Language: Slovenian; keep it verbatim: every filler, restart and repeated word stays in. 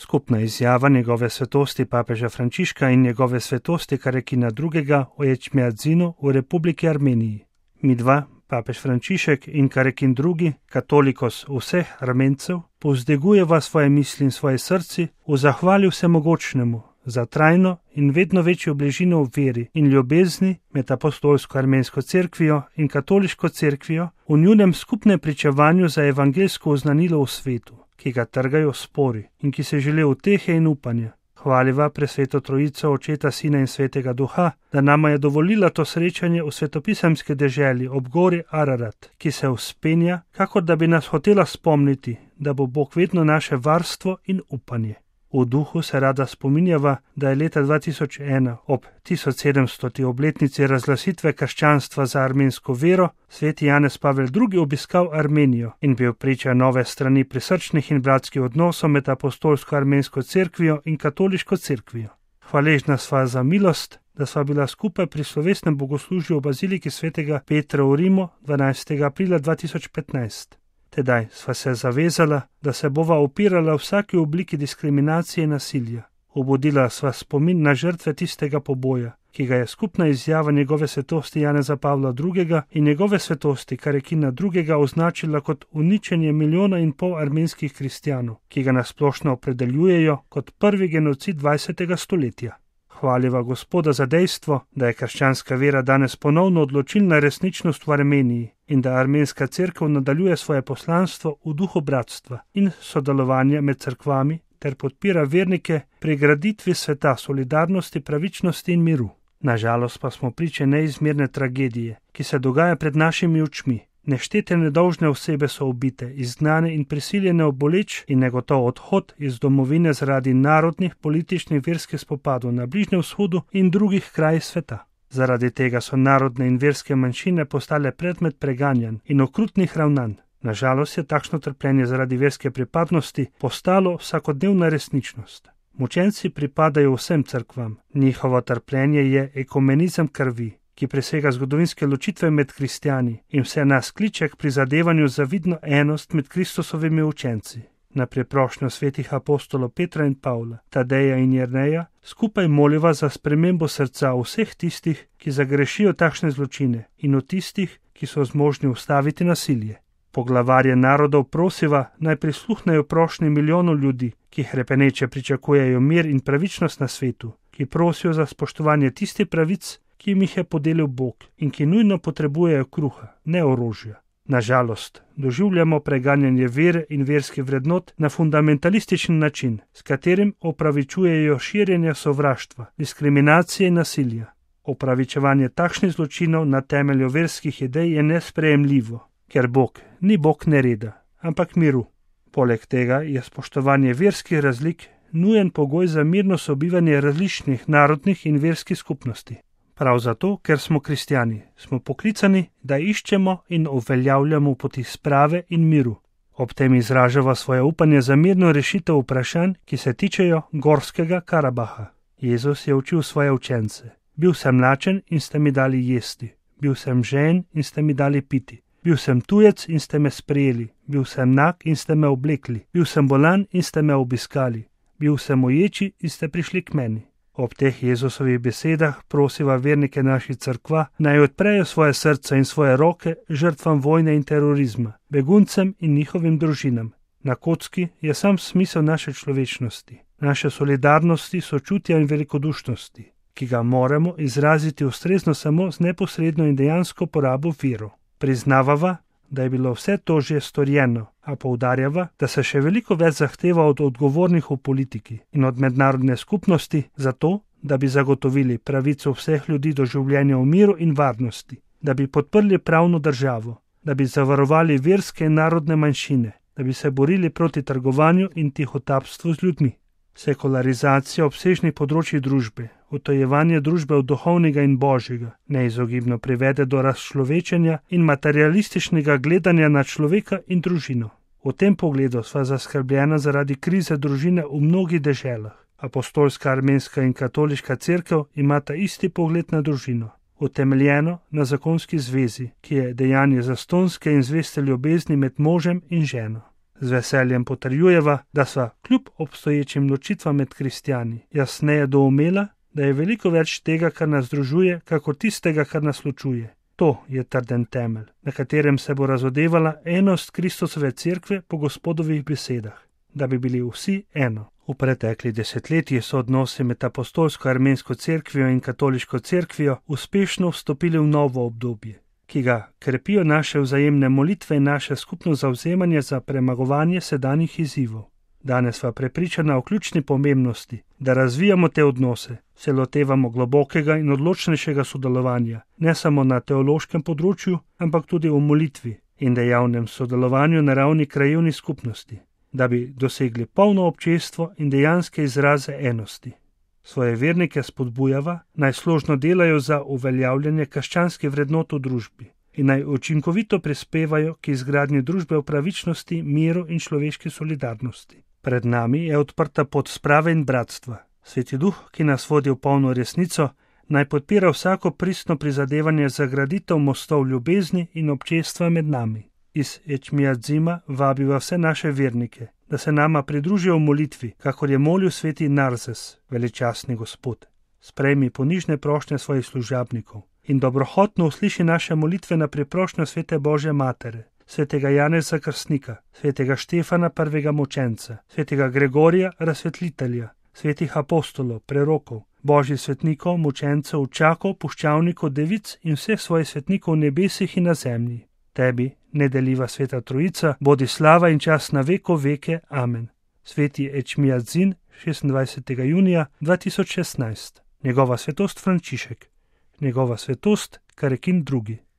Skupna izjava njegove svetosti papeža Frančiška in njegove svetosti Karekina drugega o Ečmiadzinu v Republiki Armeniji. Midva, papež Frančišek in Karekin drugi, katolikos vseh Armencev, povzdigujeva svoje misli in svoje srci v zahvali vsemogočnemu za trajno in vedno večjo bližino v veri in ljubezni med apostolsko armensko cerkvijo in katoliško cerkvijo v njunem skupnem pričevanju za evangeljsko oznanilo v svetu, ki ga trgajo spori in ki se želi utehe in upanja. Hvaliva presveto trojico Očeta, Sina in Svetega Duha, da nama je dovolila to srečanje v svetopisemski deželi ob gori Ararat, ki se vzpenja, kakor da bi nas hotela spomniti, da bo Bog vedno naše varstvo in upanje. V duhu se rada spominjava, da je leta dva tisoč ena ob tisoč sedemstoti obletnici razglasitve krščanstva za armensko vero sveti Janez Pavel drugi obiskal Armenijo in bil priča nove strani prisrčnih in bratskih odnosov med apostolsko armensko cerkvijo in katoliško cerkvijo. Hvaležna sva za milost, da sva bila skupaj pri slovesnem bogoslužju v baziliki svetega Petra v Rimu dvanajstega aprila dva tisoč petnajst. Tedaj sva se zavezala, da se bova upirala vsaki obliki diskriminacije in nasilja. Obudila sva spomin na žrtve tistega poboja, ki ga je skupna izjava njegove svetosti Janeza Pavla drugega in njegove svetosti Karekina drugega označila kot uničenje milijona in pol armenskih kristjanov, ki ga nasplošno opredeljujejo kot prvi genocid dvajsetega stoletja. Hvaliva Gospoda za dejstvo, da je krščanska vera danes ponovno odločilna resničnost v Armeniji in da armenska cerkev nadaljuje svoje poslanstvo v duhu bratstva in sodelovanja med cerkvami ter podpira vernike pri graditvi sveta solidarnosti, pravičnosti in miru. Nažalost pa smo priče neizmerne tragedije, ki se dogaja pred našimi očmi. Neštete nedolžne osebe so ubite, izgnane in prisiljene v boleč in negotov odhod iz domovine zaradi narodnih, političnih, verskih spopadov na Bližnjem vzhodu in drugih krajih sveta. Zaradi tega so narodne in verske manjšine postale predmet preganjanj in okrutnih ravnanj. Nažalost je takšno trpljenje zaradi verske pripadnosti postalo vsakodnevna resničnost. Mučenci pripadajo vsem cerkvam. Njihovo trpljenje je ekumenizem krvi, ki presega zgodovinske ločitve med kristjani in vse nas kliče k prizadevanju za vidno enost med Kristusovimi učenci. Na preprošnjo svetih apostolov Petra in Pavla, Tadeja in Jerneja, skupaj moliva za spremembo srca vseh tistih, ki zagrešijo takšne zločine in v tistih, ki so zmožni ustaviti nasilje. Poglavarje narodov prosiva, naj prisluhnejo prošnji milijonov ljudi, ki hrepeneče pričakujejo mir in pravičnost na svetu, ki prosijo za spoštovanje tistih pravic, ki jim jih je podelil Bog in ki nujno potrebujejo kruha, ne orožja. Nažalost, doživljamo preganjanje vere in verskih vrednot na fundamentalističen način, s katerim opravičujejo širjenje sovraštva, diskriminacije in nasilja. Opravičevanje takšnih zločinov na temelju verskih idej je nesprejemljivo, ker Bog ni Bog nereda, ampak miru. Poleg tega je spoštovanje verskih razlik nujen pogoj za mirno sobivanje različnih narodnih in verskih skupnosti. Prav zato, ker smo kristjani, smo poklicani, da iščemo in uveljavljamo poti sprave in miru. Ob tem izražava svoje upanje za mirno rešitev vprašanj, ki se tičejo Gorskega Karabaha. Jezus je učil svoje učence. Bil sem lačen in ste mi dali jesti. Bil sem žejen in ste mi dali piti. Bil sem tujec in ste me sprejeli. Bil sem nag in ste me oblekli. Bil sem bolan in ste me obiskali. Bil sem uječi in ste prišli k meni. Ob teh Jezusovih besedah prosiva vernike naših cerkva, naj odprejo svoje srca in svoje roke žrtvam vojne in terorizma, beguncem in njihovim družinam. Na kocki je sam smisel naše človečnosti, naše solidarnosti, sočutja in velikodušnosti, ki ga moramo izraziti ustrezno samo z neposredno in dejansko porabo virov. Priznavava, da je bilo vse to že storjeno, a poudarjava, da se še veliko več zahteva od odgovornih v politiki in od mednarodne skupnosti za to, da bi zagotovili pravico vseh ljudi do življenja v miru in varnosti, da bi podprli pravno državo, da bi zavarovali verske in narodne manjšine, da bi se borili proti trgovanju in tihotapstvu z ljudmi. Sekularizacija obsežnih področij družbe, utojevanje družbe od duhovnega in božjega, neizogibno privede do razčlovečenja in materialističnega gledanja na človeka in družino. V tem pogledu sva zaskrbljena zaradi krize družine v mnogih deželah. Apostolska armenska in katoliška cerkev imata isti pogled na družino, utemeljeno na zakonski zvezi, ki je dejanje zastonske in zveste ljubezni med možem in ženo. Z veseljem potrjujeva, da sva kljub obstoječim ločitvam med kristjani jasneje doumela, da je veliko več tega, kar nas združuje, kakor tistega, kar nas ločuje. To je trden temelj, na katerem se bo razodevala enost Kristusove cerkve po Gospodovih besedah, da bi bili vsi eno. V preteklih desetletjih so odnosi med apostolsko armensko cerkvijo in katoliško cerkvijo uspešno vstopili v novo obdobje, ki ga krepijo naše vzajemne molitve in naše skupno zavzemanje za premagovanje sedanjih izzivov. Danes sva prepričana o ključni pomembnosti, da razvijamo te odnose, se lotevamo globokega in odločnejšega sodelovanja, ne samo na teološkem področju, ampak tudi v molitvi in dejavnem sodelovanju na ravni krajevnih skupnosti, da bi dosegli polno občestvo in dejanske izraze enosti. Svoje vernike spodbujava, naj složno delajo za uveljavljanje krščanskih vrednot v družbi in naj učinkovito prispevajo k izgradnji družbe v pravičnosti, miru in človeški solidarnosti. Pred nami je odprta pot sprave in bratstva. Sveti Duh, ki nas vodi v polno resnico, naj podpira vsako pristno prizadevanje za graditev mostov ljubezni in občestva med nami. Iz Ečmiadzima vabiva vse naše vernike, da se nama pridružijo v molitvi, kakor je molil sveti Narzes, veličastni Gospod. Sprejmi ponižne prošnje svojih služabnikov in dobrohotno usliši naše molitve na priprošnjo svete Božje Matere, svetega Janeza Krstnika, svetega Štefana prvega mučenca, svetega Gregorija razsvetlitelja, svetih apostolov, prerokov, božjih svetnikov, mučencev, učakov, puščavnikov, devic in vseh svojih svetnikov v nebesih in na zemlji. Tebi, nedeljiva sveta Trojica, bodi slava in čas na veko veke. Amen. Sveti Ečmiadzin, šestindvajsetega junija dva tisoč šestnajst. Njegova svetost Frančišek. Njegova svetost Karekin drugi.